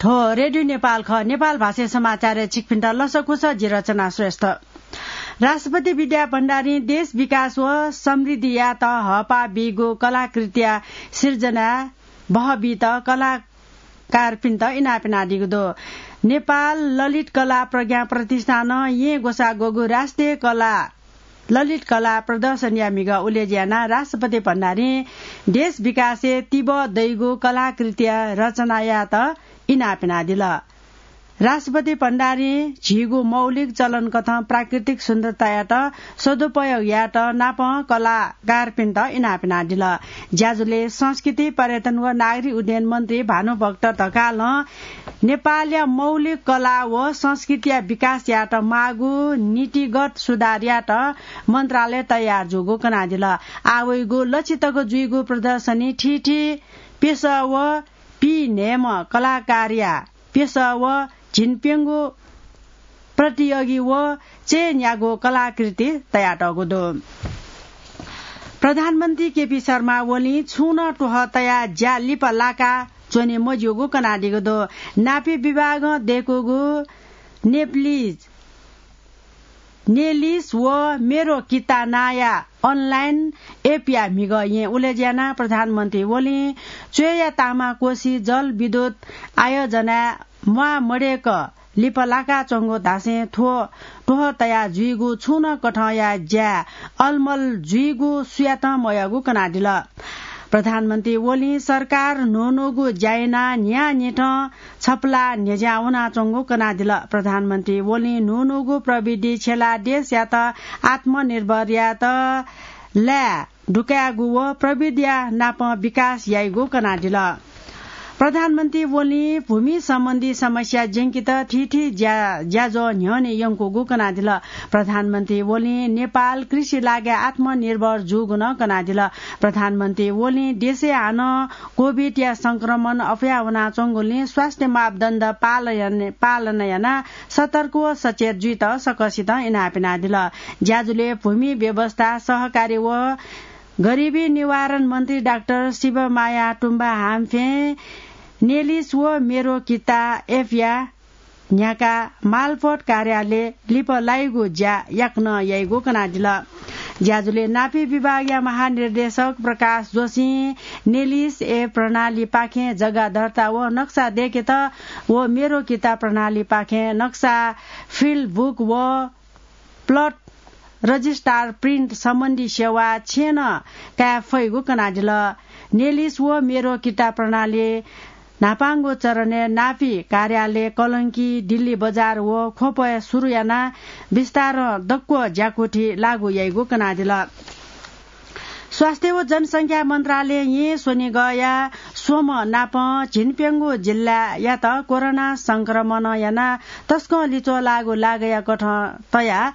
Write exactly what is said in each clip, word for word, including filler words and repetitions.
थ्व रेडियो नेपाल खः। नेपाल भाषाय् समाचारय् छिकपिन्त लसकुस, जि रचना श्रेष्ठ। राष्ट्रपति विद्या भण्डारीं देश विकास व समृद्धियात हःपाः बीगु कलाकृतिया सिर्जना बहबीत कलाकारपिन्त इनाप यानादीगु दु। नेपाल ललित कला प्रज्ञा प्रतिष्ठानं येँ ग्वसाः ग्वःगु राष्ट्रिय कला ललित कला प्रदर्शनीया म्हिगः उलेज्यू यानाः राष्ट्रपति भण्डारीं देश विकासय् तिबः दइगु कलाकृतिया रचनायात इनाप यानादिल। राष्ट्रपति भण्डारीं झीगु मौलिक चलनकथं प्राकृतिक सुन्दरतायात सदुपयोग यायेत नापं कलाकारपिन्त इनाप यानादिल। ज्याझ्वलय् संस्कृति, पर्यटन व नागरिक उड्डयन मन्त्री भानुभक्त ढकालं नेपालया मौलिक कला व संस्कृतिया विकास यायेत माःगु नीतिगत सुधार यायेत मन्त्रालय तयार जूगु कनादिल। आः वइगु लछि तक जुइगु प्रदर्शनी थीथी पेशा व पीन्हय्म्ह कलाकारया पेशा व झिंप्यंगू प्रतियोगी व चयनयागु कलाकृति तयातःगु दु। प्रधानमन्त्री केपी शर्मा ओलीं छुं नं त्वहः तयाः ज्या लिपा लाका च्वने मज्यूगु कनादीगु दु। नापी विभागं दय्कूगु नेप्लिज नेलिस व मेरो किता नांया अनलाइन एपया म्हिगः येँ उलेज्यू यानाः प्रधानमन्त्री ओलीं च्वय्या तामाकोसी जलविद्युत आयोजनाय् म्वाः मदय्क लिपा लाकाच्वंगु धासें थ्व त्वहः तयाः जुइगु छुं नं कथंया ज्याय् अलमल जुइगु सुयातं मयःगु कनादिल। प्रधानमन्त्री ओलीं सरकार न्हून्हूगु ज्या यानाः न्हियान्हिथं छपला न्ह्यज्यां वनाच्वंगु कनादिल। प्रधानमन्त्री ओलीं न्हून्हूगु प्रविधि छ्यलाः देशयात आत्मनिर्भर यायेत लाय् दुकायेगु व प्रविधिया नापं विकास याइगु कनादिल। प्रधानमन्त्री ओलीं भूमि सम्बन्धी समस्या ज्यंकेत थीथी ज्या-, ज्याझ्वः न्ह्यःने यंकूगु कनादिल। प्रधानमन्त्री ओलीं नेपाल कृषि लागाय् आत्मनिर्भर जूगु नं कनादिल। प्रधानमन्त्री ओलीं देशय् हानं कोभिडया संक्रमण अप्वया वनाच्वंगुलिं स्वास्थ्य मापदण्ड पालन, पालन यानाः सतर्क व सचेत जुइत सकसितं इनाप यानादिल। ज्याझ्वलय् भूमि व्यवस्था, सहकारी व गरिबी निवारण मन्त्री डाक्टर शिवमाया तुम्बा हाम्फें नेलिस व मेरो किता एपया न्ह्याकाः मालपोत कार्यालय लिपा लाइगु ज्या याकनं याइगु कनादिल। ज्याझ्वलय् नापी विभागया महानिर्देशक प्रकाश जोशीं नेलिस एप प्रणालीपाखें जग्गा दर्ता व नक्सा दय्केत व मेरो किता प्रणालीपाखें नक्सा, फिल्ड बुक व प्लट रजिस्ट्रार प्रिन्ट सम्बन्धी सेवा छेँनं काये फइगु कनादिल। नेलिस व मेरो किता प्रणाली न्हापांगु चरणय् नापी कार्यालय कलंकी, दिल्ली बजार व ख्वपय् सुरु यानाः बिस्तारं दक्व ज्याकुथि लागू याइगु कनादिल। स्वास्थ्य व जनसंख्या मन्त्रालयं स्वनिगःया स्वम्ह नापं झिंप्यंगू जिल्लायात कोरोना संक्रमणं यानाः तसकं लिच्वः लाःगु लागःया कथं तयाः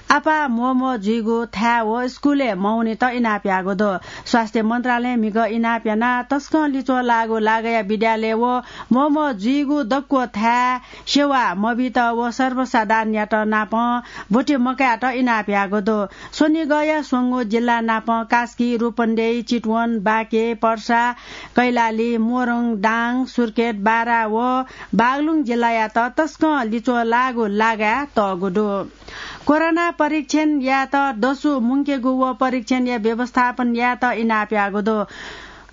आपाः म्वःम्वः जुइगु थाय् व स्कूलय् मवनीत इनाप याःगु दु। स्वास्थ्य मन्त्रालयं म्हिगः इनाप यानाः तसकं लिच्वः लाःगु लागःया विद्यालय व म्वःम्वः जुइगु दक्व थाय् सेवा मबीत व सर्वसाधारणयात नापं ब्वति मकायेत इनाप याःगु दु। स्वनिगःया स्वंगू जिल्ला नापं कास्की, रूपन्देही, चितवन, बाँके, पर्सा, कैलाली, मोरङ, दाङ, सुर्खेत, बारा व बागलुङ जिल्लायात तसकं लिच्वः लाःगु लागः तःगु दु। कोरोना परीक्षण यायेत दसु मुंकेगु व परीक्षणया व्यवस्थापन यायेत इनाप याःगु दु।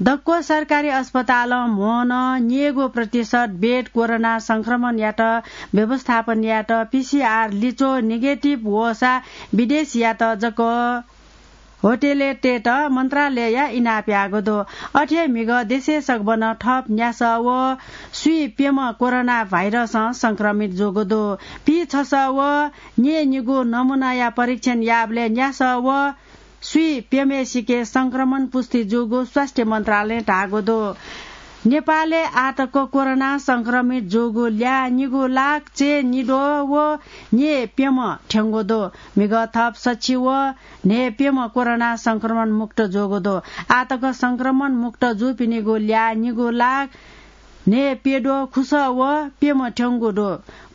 दक्व सरकारी अस्पतालं म्होनं न्येगू प्रतिशत बेड कोरोना संक्रमणयात व्यवस्थापन यायेत पीसीआर लिच्वः नेगेटिभ वःसा विदेशीयात जक होटलय् तयेत मन्त्रालयया इनाप याःगु दु। अथे म्हिगः देशय् सकभनं थप न्यासः व स्वीप्यम्ह कोरोना भाइरसं संक्रमित जूगु दु। पीछसः व न्येनिगू नमुनाया परीक्षण याःबलय् न्यासः व स्वीप्यम्हेसिके संक्रमण पुष्टि जूगु स्वास्थ्य मन्त्रालयं धाःगु दु। नेपालय् आःतक कोरोना संक्रमित जूगु ल्याः निगू लाख चय्निद्वः व न्येप्यम्ह थ्यंगु दु। म्हिगः थप सछि व न्हय्प्यम्ह कोरोना संक्रमण मुक्त जूगु दु। आःतक संक्रमण मुक्त जूपिनिगु ल्याः निगू लाख न्हय्प्यद्वः खुसः व प्यम्ह थ्यंगु दु।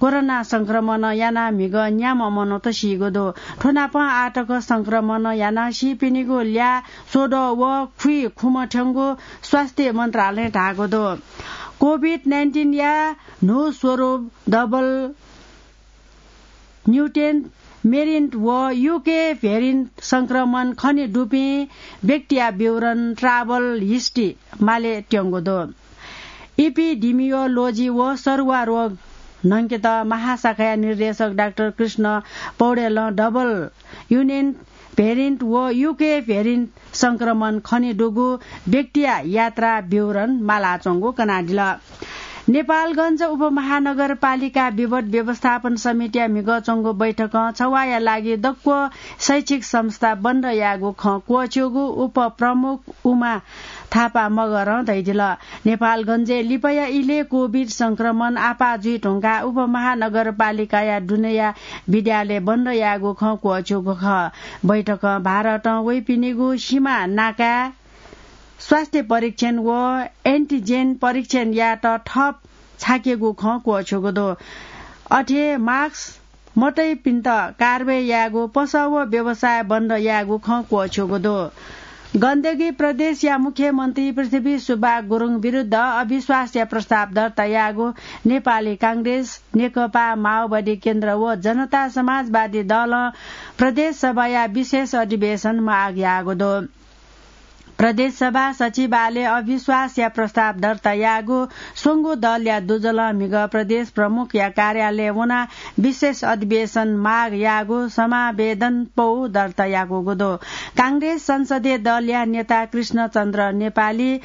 कोरोना संक्रमणं यानाः म्हिगः न्याम्ह मनूत सीगु दु। थ्व नापं आःतक संक्रमणं यानाः सीपिनिगु ल्याः स्वद्वः व खुइखुम्ह थ्यंगु स्वास्थ्य मन्त्रालयं धाःगु दु। COVID nineteen या न्हू स्वरूप डबल म्युटेन्ट भेरिएन्ट व UK भेरिएन्ट संक्रमण खने दुपिं व्यक्तिया विवरण, travel history माले त्यंगु दु। Epidemiology व सरुवा रोग न्हंकेत महाशाखाया निर्देशक डाक्टर कृष्ण पौडेलं डबल म्युटेन्ट भेरिएन्ट व UK भेरिएन्ट संक्रमण खने दुगु व्यक्तिया यात्रा विवरण मालाच्वंगु कनादिल। नेपालगञ्ज उपमहानगरपालिका विपद व्यवस्थापन समितिया म्हिगः च्वंगु बैठकं छवाःया लागि दक्व शैक्षिक संस्था बन्द यायेगु खँ क्वःछ्यूगु उपप्रमुख उमा थापा मगरं धयादिल। नेपालगञ्जय् लिपाया इलय् COVID संक्रमण आपाः जुइ धुंकाः उपमहानगरपालिकाया दुनेया विद्यालय बन्द यायेगु खँ क्वःछ्यूगु खः। बैठकं भारतं वइपिनिगु सीमा नाकाय् स्वास्थ्य परीक्षण व antigen परीक्षण यायेत थप छाकेगु खँ क्वःछ्यूगु दु। अथे mask मतइपिन्त कारवाही यायेगु, पसः व व्यवसाय बन्द यायेगु खँ क्वःछ्यूगु दु। गण्डकी प्रदेशया मुख्यमन्त्री पृथ्वी सुब्बा गुरुङ विरुद्ध अविश्वासया प्रस्ताव दर्ता यायेगु नेपाली कांग्रेस, नेकपा माओवादी केन्द्र व जनता समाजवादी दलं प्रदेश सभाया विशेष अधिवेशन माग याःगु दु। प्रदेश सभा सचिवालयय् अविश्वासया प्रस्ताव दर्ता याःगु स्वंगू दलया दुजलं म्हिगः प्रदेश प्रमुखया कार्यालय वनाः विशेष अधिवेशन माग याःगु समावेदन पौ दर्ता याकूगु दु। कांग्रेस संसदीय दलया नेता कृष्णचन्द्र नेपाली,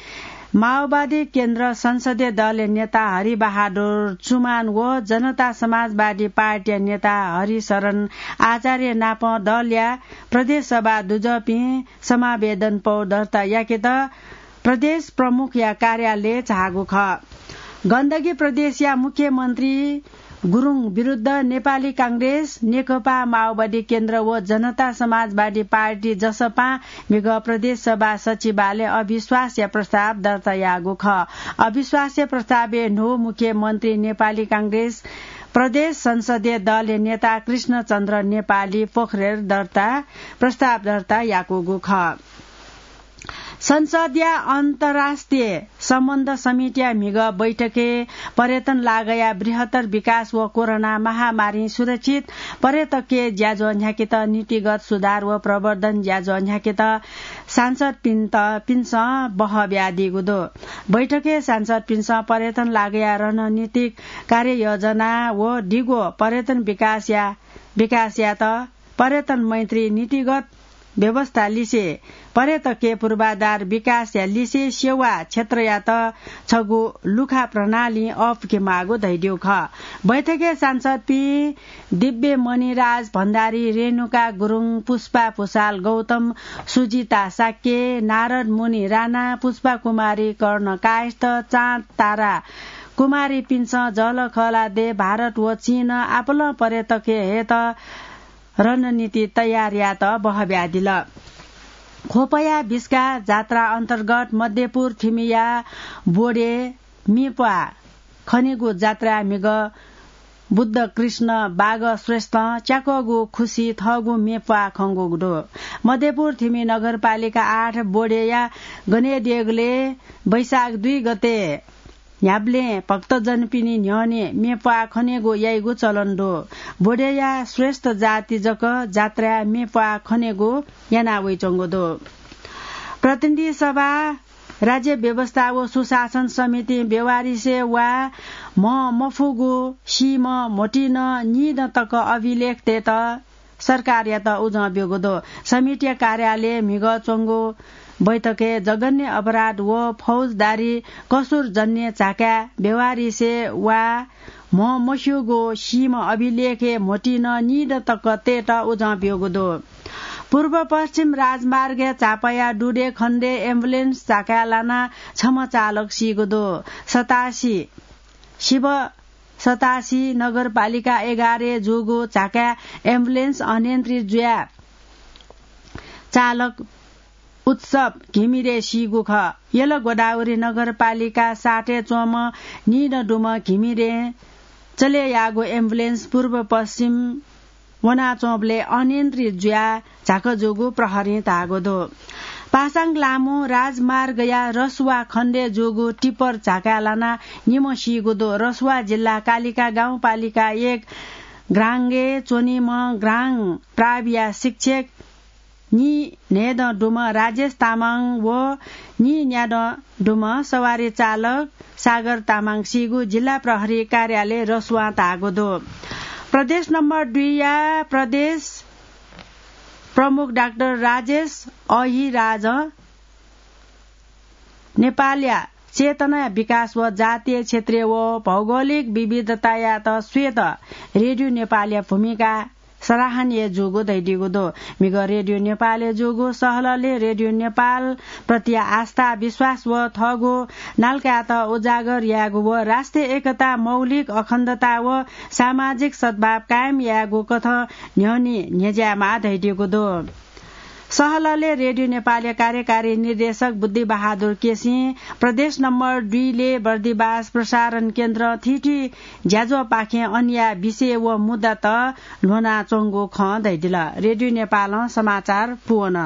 माओवादी केन्द्र संसदीय दलया नेता हरिबहादुर चुमान व जनता समाजवादी पार्टीया नेता हरिशरण आचार्य नाप दलया प्रदेश सभा दुजःपिं समावेदन पौ दर्ता याकेत प्रदेश प्रमुखया कार्यालय झाःगु खः। गण्डकी प्रदेशया मुख्यमन्त्री गुरुङ विरुद्ध नेपाली कांग्रेस, नेकपा माओवादी केन्द्र व जनता समाजवादी पार्टी जसपां म्हिगः प्रदेश सभा सचिवालय अविश्वासया प्रस्ताव दर्ता याःगु खः। अविश्वासया प्रस्तावय् न्हू मुख्यमन्त्री नेपाली कांग्रेस प्रदेश संसदीय दलया नेता कृष्णचन्द्र नेपाली पोखरेल दर्ता, प्रस्ताव दर्ता याकूगु खः। संसदया अन्तर्राष्ट्रिय सम्बन्ध समितिया म्हिगः बैठकय् पर्यटन लागःया बृहत्तर विकास व कोरोना महामारीं सुरक्षित पर्यटकीय ज्याझ्वः न्ह्याकेत नीतिगत सुधार व प्रवर्धन ज्याझ्वः न्ह्याकेत सांसदपिन्त, पिन्सं बहः बियादीगु दु। बैठकय् सांसदपिन्सं पर्यटन लागःया रणनीतिक कार्ययोजना व दिगो पर्यटन विकासया, विकासयात पर्यटन मैत्री नीतिगत व्यवस्था लिसे पर्यटकीय पूर्वाधार विकासया लिसे सेवा क्षेत्रयात छगू लुखा प्रणालीं अःपुके माःगु धयादीगु खः। बैठकय् सांसदपिं दिव्य मणिराज भण्डारी, रेणुका गुरुङ, पुष्पा भुसाल गौतम, सुजिता शाक्य, नारद मुनि राणा, पुष्पा कुमारी कर्ण कायस्थ, चाँद तारा कुमारीपिन्सं जःलाखःलादँय् भारत व चीनं आपालं पर्यटकय् हयेत रणनीति तयार यायेत बहः बियादिल। ख्वपया बिस्का जात्रा अन्तर्गत मध्यपुर थिमिया बोडे म्येप्वाः खनेगु जात्राय् म्हिगः बुद्ध कृष्ण बाग श्रेष्ठं च्याक्वःगु खुसि थःगु म्येप्वाः खंगु दु। मध्यपुर थिमि नगरपालिका आठ बोडेया गनेदेगलय् वैशाख दुई गते न्ह्याबलें भक्तजनपिनि न्ह्यःने म्येप्वाः खनेगु याइगु चलन दु। बोडेया श्रेष्ठ जाति जक जात्राय् म्येप्वाः खनेगु याना वइच्वंगु दु। प्रतिनिधि सभा, राज्य व्यवस्था व सुशासन समितिं बेवारिसे वा म्ह मफुगु सीम्ह म्होतिं निदँ तक अभिलेख तयेत सरकारयात उजं ब्यूगु दु। समितिया कार्यालयय् म्हिगः च्वंगु बैठकय् जघन्य अपराध व फौजदारी कसुरजन्य झाकाय् बेवारिसे वा म्ह मस्यूगु सीम्ह अभिलेखय् म्होतिं निदँ तक तयेत उजं ब्यूगु दु। पूर्व पश्चिम राजमार्गय् झापाया दुधे खण्डय् एम्बुलेन्स झाकाय् लानाः छम्ह चालक सीगु दु। सतासी शिव सतासी नगरपालिका एघारय् जूगु झाकाय् एम्बुलेन्स अनियन्त्रित जुयाः चालक उत्सव घिमिरे सीगु खः। यल गोदावरी नगरपालिका सातय् च्वंम्ह निदँ दुम्ह घिमिरे चले याःगु एम्बुलेन्स पूर्व पश्चिम वनाच्वंबलय् अनियन्त्रित जुयाः झाक जूगु प्रहरीं धाःगु दु। पासाङ लामो राजमार्गया रसुवा खण्डय् जूगु टिप्पर झाकाः लानाः निम्ह सीगु दु। रसुवा जिल्ला कालिका गाउँपालिका एक ग्राङ्गे च्वनीम्ह ग्राङ प्राविया शिक्षक नीन्हय्दँ दुम्ह राजेश तामाङ व नीन्यादँ दुम्ह सवारी चालक सागर तामाङ सीगु जिल्ला प्रहरी कार्यालय रसुवां धाःगु दु। प्रदेश नम्बर दुईया प्रदेश प्रमुख डाक्टर राजेश अहिराजं नेपालया चेतना विकास व जातीय क्षेत्रीय व भौगोलिक विविधतायात स्वयेत रेडियो नेपालया भूमिका सराहनीय जूगु धयादीगु दु। म्हिगः रेडियो नेपालय् जूगु सहलहलय् रेडियो नेपाल प्रति आस्था, विश्वास व थःगु नालाकाय्‌त उजागर यायेगु व राष्ट्रिय एकता, मौलिक अखण्डता व सामाजिक सद्भाव कायम यायेगु कथं न्ह्यःने न्ह्यज्यायेमाः धयादीगु दु। सहलहलय् रेडियो नेपालया कार्यकारी निर्देशक बुद्धि बहादुर केसीं प्रदेश नम्बर दुईले बर्दिबास प्रसारण केन्द्र थीथी ज्याझ्वःपाखें अन्य विषय व मुद्दात ल्ह्वनाच्वंगु खँ धयादिल। रेडियो नेपालं समाचार पूवन।